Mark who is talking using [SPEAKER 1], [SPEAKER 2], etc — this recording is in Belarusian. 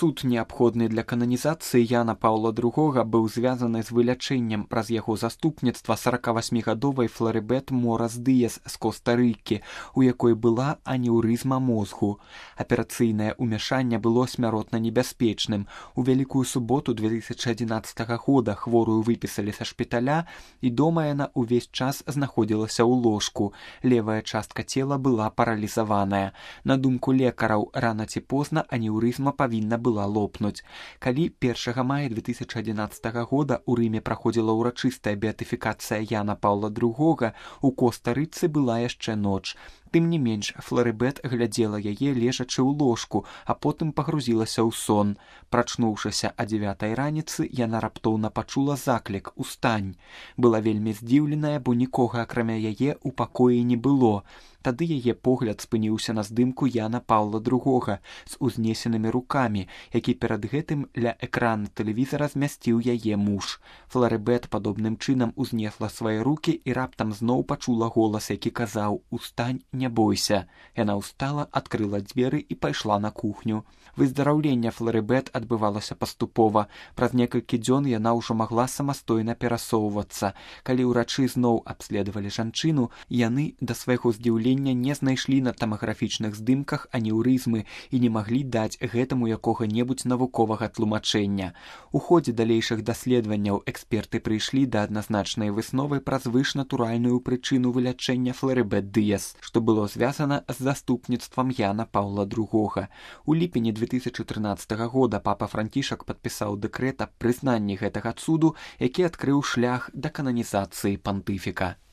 [SPEAKER 1] Цуд, неабходны для кананізацыі Яна Паўла II, быў звязаны з вылячэннем праз яго заступніцтва 48-гадовай Флорибет Морас Дыяс з Коста-Рыкі, у якой была анеўрызма мозгу. Аперацыйнае ўмяшанне было смяротна небяспечным. У Вялікую суботу 2011 года хворую выпісалі са шпіталя, і дома яна ўвесь час знаходзілася ў ложку. Левая частка цела была паралізаваная. На думку лекараў, рана ці позна анеўрызма павінна была лопнуць. Калі 1 мая 2011 года ў Рыме праходзіла ўрачыстая беатыфікацыя Яна Паўла II, у Коста-Рыцы была яшчэ ноч. Тым не менш, Флорибет глядзела яе лежачы ў ложку, а потым пагрузілася ў сон. Прачнуўшыся о 9 раніцы, яна раптоўна пачула заклік «Устань». Была вельмі здзіўленая, бо нікога акрамя яе ў пакоі не было. Тады яе погляд спыніўся на здымку Яна Паўла II з узнесенымі рукамі, які перад гэтым ля экрана тэлевізара змясціў яе муж. Флорибет падобным чынам узнесла свае рукі і раптам зноў пачула голас, які казаў «Устань, не бойся». Яна ўстала, адкрыла дзверы і пайшла на кухню. Выздараўленне Флорибет адбывалася паступова. Праз некалькі дзён яна ўжо магла самастойна перасоўвацца. Калі ўрачы зноў абследавалі жанчыну, яны да свайго здзіўлення не знайшлі на тамаграфічных здымках анеўрызмы і не маглі даць гэтаму якога-небудзь навуковага тлумачэння. У ходзе далейшых даследаванняў эксперты прыйшлі да адназначнай высновы пра звышнатуральную прычыну вылячэння Флорибет Дыяс, што было звязана з заступніцтвам Яна Паўла II. У ліпені 2013 года папа Францішак падпісаў дэкрэт аб прызнанні гэтага цуду, які адкрыў шлях да кананізацыі пантыфіка.